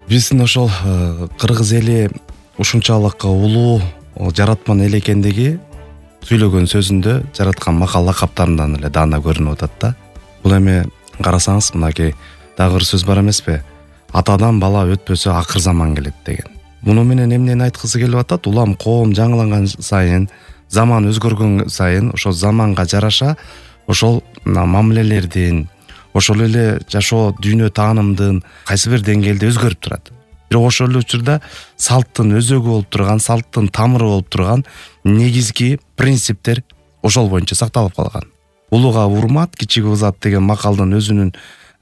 Биздин ошол кыргыз эли ушунчалык улуу жаратман эл экендиги сүйлөгөн сөзүндө, жараткан макал лакаптарынан эле даана көрүнүп атат да. Бул эми карасаңыз мынакей дагы бир сөз бар эмеспи? Атадан бала өтпөсө акыр заман келет деген. Муну менен эмнени айткысы келип атат? Улам коом жаңыланган сайын, заман өзгөргөн сайын ошол заманга жараша ошол мамилелердин, ошол эле жашоо дүйнө таанымдын кайсы бир деңгээлде өзгөрүп турат. Бирок ошол эле учурда салттын өзөгү болуп турган, салттын тамыры болуп турган негизги принциптер ошол боюнча сакталып калган. Улууга урмат, кичиге узат деген макалдын өзүнүн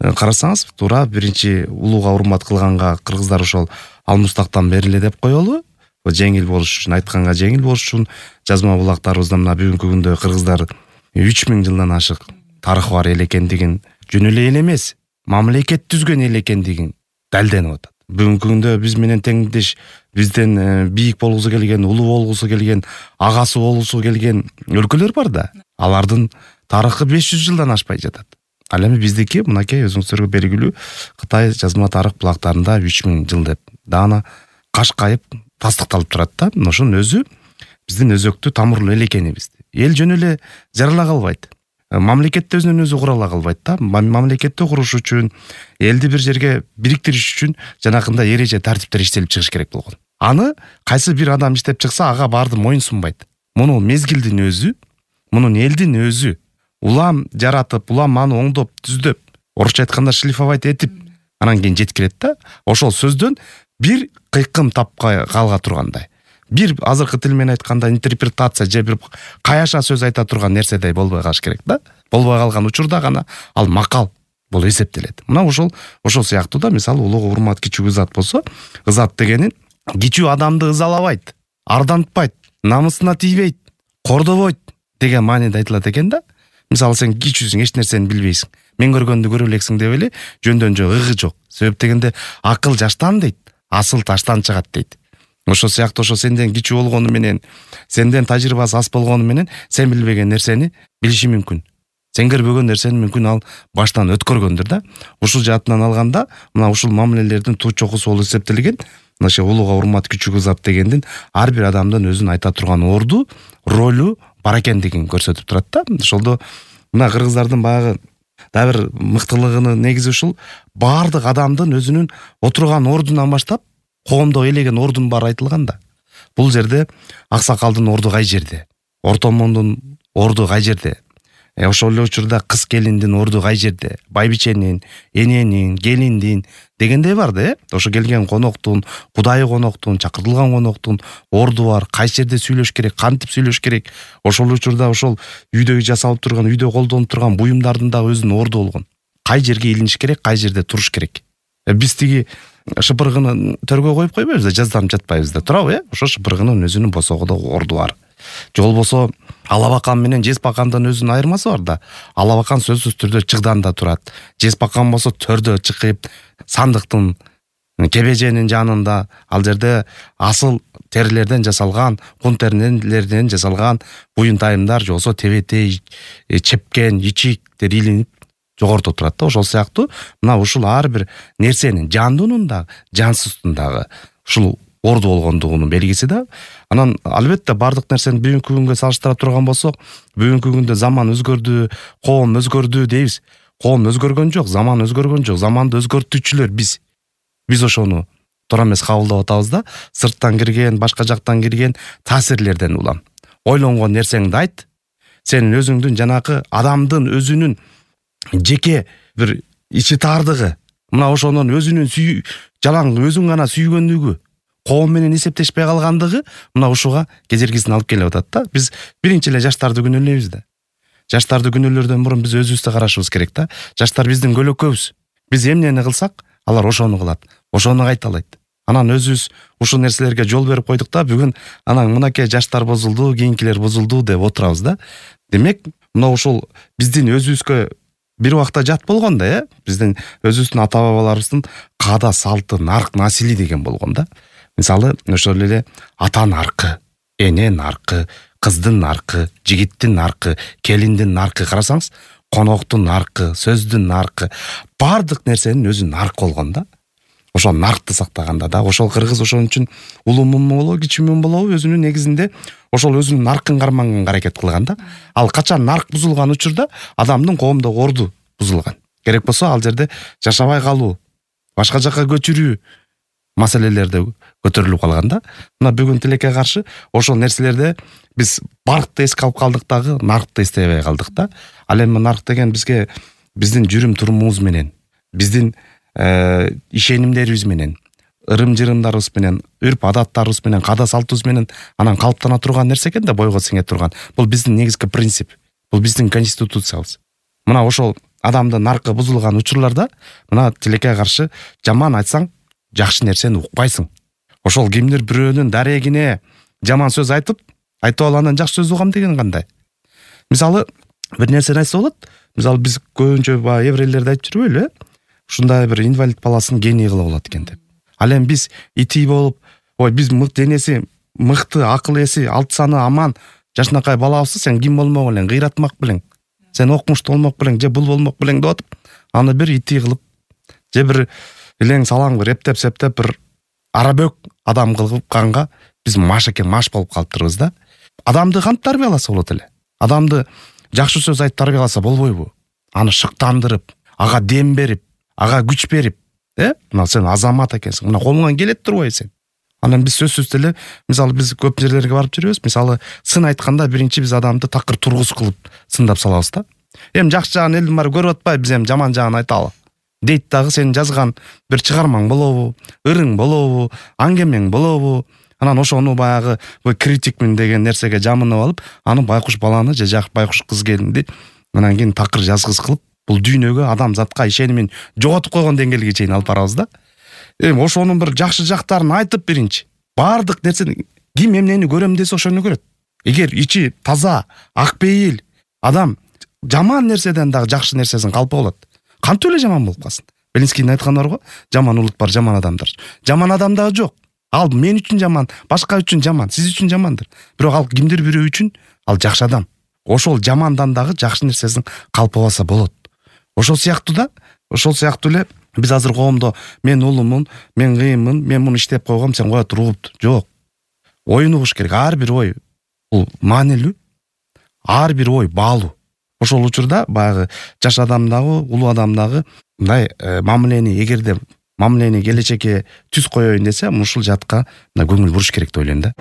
карасаңыз, туура биринчи улууга урмат кылганга кыргыздар ошол алмустактан бериле деп коелу. Жеңил болуш үчүн, айтканга жеңил болуш үчүн жазма булактарыбызда мына бүгүнкү күндө кыргыздар 3000 жылдан ашык тарыхы бар эл экендигин, жөн эле эл эмес, мамлекет түзгөн эл экендигин далилденип атат. Бүгүнкү күндө биз менен теңдеш, бизден бийик болгусу келген, улуу болгусу келген, агасы болгусу келген өлкөлөр бар да. Алардын тарыхы 500 жылдан ашпай жатат. Ал эми биздики мынакей өзүңүздөргө белгилүү Кытай жазма тарых булактарында 3000 жыл деп даана кашкайып тастыкталып турат да. Ошонун өзү биздин өзөктүү тамырлуу эл экенибизди. Эл жөн эле жарала калбайт. Мамлекетти өзүнөн өзү кура ала калбайт да. Мамлекетти куруш үчүн, элди бир жерге бириктириш үчүн жанакындай эреже тартиптер иштелип чыгыш керек болгон. Аны кайсы бир адам иштеп чыкса, ага баарды моюн сунбайт. Муну мезгилдин өзү, мунун элдин өзү улам жаратып, улам аны оңдоп, түздөп, орусча айтканда шлифовать этип, анан кийин жеткирет да. Ошол сөздөн бир кыйкым тапкай калга тургандай. Бир азыркы тил менен айтканда интерпретация же бир каяша сөз айта турган нерседей болбой калыш керек да. Болбой калган учурда гана ал макал болуп эсептелет. Мына ошол сыяктуу да, мисалы улууга урмат, кичүүгө ызат болсо, ызат дегени кичүү адамды ызалабайт, ардантпайт, намысына тийбейт, кордобойт деген мааниде айтылат экен да. Мисалы сен кичүүсүң, эч нерсени билбейсиң. Мен көргөндү көрө элексиң деп эле жөндөн жөө ыгы жок. Себеп дегенде акыл жаштан дейт, асыл таштан чыгат дейт. Ошол сыяктуу ошо сенден кичүү болгону менен, сенден тажрыйбасы аз болгону менен сен билбеген нерсени билиши мүмкүн. Сен көрбөгөн нерсени мүмкүн ал баштан өткөргөндүр да. Ушул жаатынан алганда, мына ушул мамилелердин туу чокусу болуп эсептелген. Мына ошо улууга урмат, кичүүгө ызат дегендин ар бир адамдын өзүн айта турган орду, ролу бар экендигин көрсөтүп турат да. Ошолдо мына кыргыздардын баягы дагы бир мыктылыгынын негизи ушул, баардык адамдын өзүнүн отурган ордунан баштап коомдо элеген ордун баары айтылган да. Бул жерде аксакалдын орду кай жерде? Ортомондун орду кай жерде? Ошол эле учурда кыз келиндин орду кай жерде? Байбиченин, эненин, келиндин дегендей бар да, Ошо келген коноктун, кудайы коноктун, чакыртылган коноктун орду бар. Кайсы жерде сүйлөш керек, кантип сүйлөш керек? Ошол учурда ошол үйдө жасалып турган, үйдө колдонуп турган буюмдардын дагы өзүнүн орду болгон. Кай жерге илиниш керек, кай жерде туруш керек? Биз тиги шыпыргыны төргө коюп койбойбуз да, жазданып жатпайбыз да, туурабы? Ошо шыпыргынын өзүнүн босогодо орду бар. Же болбосо алабакан менен жеспакандын өзүнүн айырмасы бар да. Алабакан сөзсүз түрдө чыгданда турат. Жеспакан болсо төрдө чыкып, сандыктын кебеженин жанында, ал жерде асыл терилерден жасалган, кун терилерден жасалган буюнтайымдар, же болсо тебетей, чепкен, ичиктер илинип жогоруда турат да. Ошол сыяктуу мына ушул ар бир нерсенин жандуунун да, жансыздын дагы ушул орду болгондугунун белгиси да. Анан албетте бардык нерсени бүгүнкү күнгө салыштыра турган болсок, бүгүнкү күндө заман өзгөрдү, коом өзгөрдү дейбиз. Коом өзгөргөн жок, заман өзгөргөн жок. Заманды өзгөртүүчүлөр биз. Биз ошону туура эмес кабылдап атабыз да. Сырттан кирген, башка жактан кирген таасирлерден улам. Ойлонгон нерсеңди айт. Сенин өзүңдүн жанакы адамдын өзүнүн жеке бир ичи таардыгы, мына ошонун өзүнүн жалаң өзүң гана сүйгөндүгү, коом менен эсептешпей калгандыгы мына ушуга кедергисин алып келип атат да. Биз биринчи эле жаштарды күнөөлөйбүз да. Жаштарды күнөөлөрдөн мурун биз өзүбүздү карашыбыз керек да. Жаштар биздин көлөкөбүз. Биз эмнени кылсак, алар ошону кылат, ошону кайталайт. Анан өзүбүз ушул нерселерге жол берип койдук да, бүгүн анан мынакей жаштар бузулду, кийинкилер бузулду деп отурабыз да. Демек, мына ушул биздин өзүбүзгө бир убакта жат болгон да, биздин өзүбүздүн ата бабаларыбыздын каада, салты, нарк, насили деген болгон да. Мисалы, ошол эле ата наркы, эне наркы, кыздын наркы, жигиттин наркы, келиндин наркы карасаңыз, коноктун наркы, сөздүн наркы, бардык нерсенин өзү нарк болгон да. ошол наркты сактаганда да ошол кыргыз ошон үчүн улуумун болобу кичүүмүн болобу өзүнүн негизинде ошол өзүнүн наркын карманганга аракет кылган да. Ал качан нарк бузулган учурда адамдын коомдогу орду бузулган. Керек болсо ал жерде жашабай калуу, башка жака көчүрүү маселелерде көтөрүлүп калган да. Мына бүгүн тилекке каршы ошол нерселерде биз баркты эске алып калдык дагы, наркты эстебей калдык да. Ал эми нарк деген бизге биздин жүрүм турумубуз менен, биздин ишенимдерибиз менен, ырым-жырымдарыбыз менен, үрп адаттарыбыз менен, каада салтыбыз менен анан калыптана турган нерсе экен да, бойго сиңе турган. Бул биздин негизги принцип. Бул биздин конституциябыз. Мына ошол адамдын наркы бузулган учурларда мына тилекке каршы жаман айтсаң жакшы нерсени укпайсың. Ошол кимдир бирөөнүн дарегине жаман сөз айтып анан жакшы сөз угам деген кандай? Мисалы бир нерсени айтса болот. Мисалы биз көбүнчө баягы еврейлерди айтып жүрбөйлү, ушундай бир инвалид баласын гений кылып болот экен деп. Ал эми биз ити болуп, биз денеси мыкты, акыл эси, алты саны аман жашынакай балабызды сен ким болмок белең, кыйратмак белең, сен окумуштуу болмок белең, же бул болмок белең деп атып, аны бир ити кылып, же бир илең салаң бир эптеп-септеп бир арабөк адам кылганга биз маш болуп калыптырбыз да. Адамды кантип тарбияласа болот эле? Адамды жакшы сөз айтып тарбияласа болбойбу? Аны шыктандырып, ага дем берип, ага күч берип, мына сен азамат экенсиң, мына колуңан келет турбайбы сен? Анан биз сөзсүз эле, мисалы биз көп жерлерге барып жүрөбүз. Мисалы сын айтканда биринчи биз адамды такыр тургус кылып сындап салабыз да. Эми жакшы жагын элдин баары көрүп атпайбы, биз эми жаман жагын айталы. Дейт дагы сен жазган бир чыгармаң болобу, ырың болобу, аңгемең болобу? Анан ошону баягы критикмин деген нерсеге жамынып алып, аны байкуш баланы же байкуш кыз келинди анан кийин такыр жазгыс кылып, бул дүйнөгө адамзатка ишенимин жоготуп койгон деңгээлге чейин алып барабыз да. Эми ошонун бир жакшы жактарын айтып биринчи, баардык нерсени ким эмнени көрөм десе ошону көрөт. Эгер ичи таза, ак пейил адам жаман нерседен дагы жакшы нерсесин калпы болот. Кантип эле жаман болуп калсын? Белинскийдин айтканы бар го, жаман улут бар, жаман адамдар. Жаман адам дагы жок. Ал мен үчүн жаман, башка үчүн жаман, сиз үчүн жамандыр. Бирок ал кимдир бирөө үчүн ал жакшы адам. Ошол жамандан дагы жакшы нерсесин калпы алса болот. Ошол сыяктуу эле биз азыр коомдо мен улумун, мен кыйынмын, мен муну иштеп койгом, сен кое туруп. Жок. Оюн угуш керек. Ар бир ой бул маанилүү. Ар бир ой баалуу. Ошол учурда баягы жаш адамдагы, улуу адамдагы мындай мамилени, эгерде мамилени келечекке түз коеюн десе, ушул жатка көңүл буруш керек деп ойлойм да.